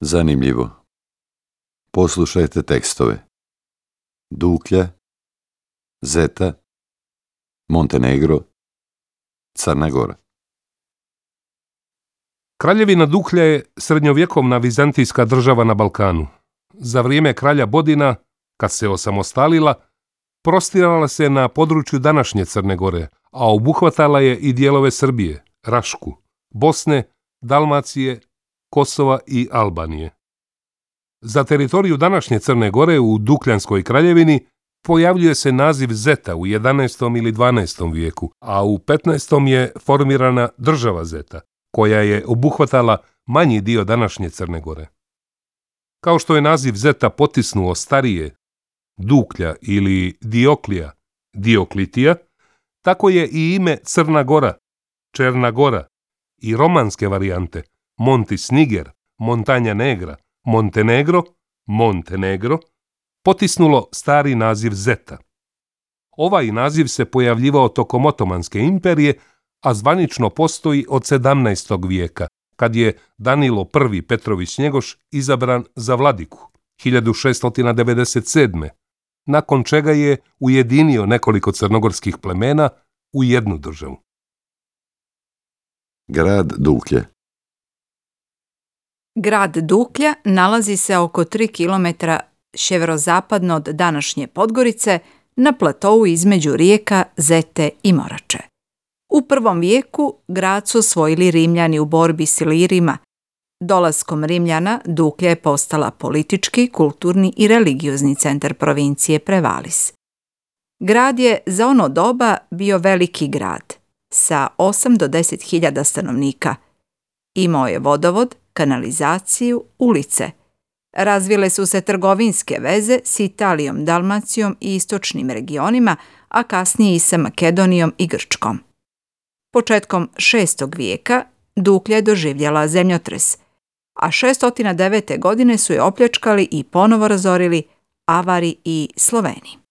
Zanimljivo. Poslušajte tekstove. Duklja, Zeta, Montenegro, Crna Gora. Kraljevina Duklja je srednjovjekovna vizantijska država na Balkanu. Za vrijeme kralja Bodina, kad se osamostalila, prostirala se na području današnje Crne Gore, a obuhvatala je i dijelove Srbije, Rašku, Bosne, Dalmacije, Kosova i Albanije. Za teritoriju današnje Crne Gore u Dukljanskoj kraljevini pojavljuje se naziv Zeta u 11. ili 12. vijeku, a u 15. je formirana država Zeta, koja je obuhvatala manji dio današnje Crne Gore. Kao što je naziv Zeta potisnuo starije Duklja ili Dioklija, Dioklitija, tako je i ime Crna Gora, Černa Gora i romanske varijante Montis Niger, Montanja Negra, Montenegro, Montenegro, potisnulo stari naziv Zeta. Ovaj naziv se pojavljivao tokom Otomanske imperije, a zvanično postoji od 17. vijeka, kad je Danilo I Petrović Njegoš izabran za vladiku 1697. nakon čega je ujedinio nekoliko crnogorskih plemena u jednu državu. Grad Duklje. Grad Duklja nalazi se oko 3 km sjeverozapadno od današnje Podgorice na platou između rijeka Zete i Morače. U 1. vijeku grad su osvojili Rimljani u borbi s Ilirima. Dolaskom Rimljana Duklja je postala politički, kulturni i religiozni centar provincije Prevalis. Grad je za ono doba bio veliki grad sa 8 do 10 hiljada stanovnika. Imao je vodovod, kanalizaciju, ulice. Razvile su se trgovinske veze s Italijom, Dalmacijom i istočnim regionima, a kasnije i sa Makedonijom i Grčkom. Početkom 6. vijeka Duklja je doživjela zemljotres, a 609. godine su je opljačkali i ponovo razorili Avari i Sloveni.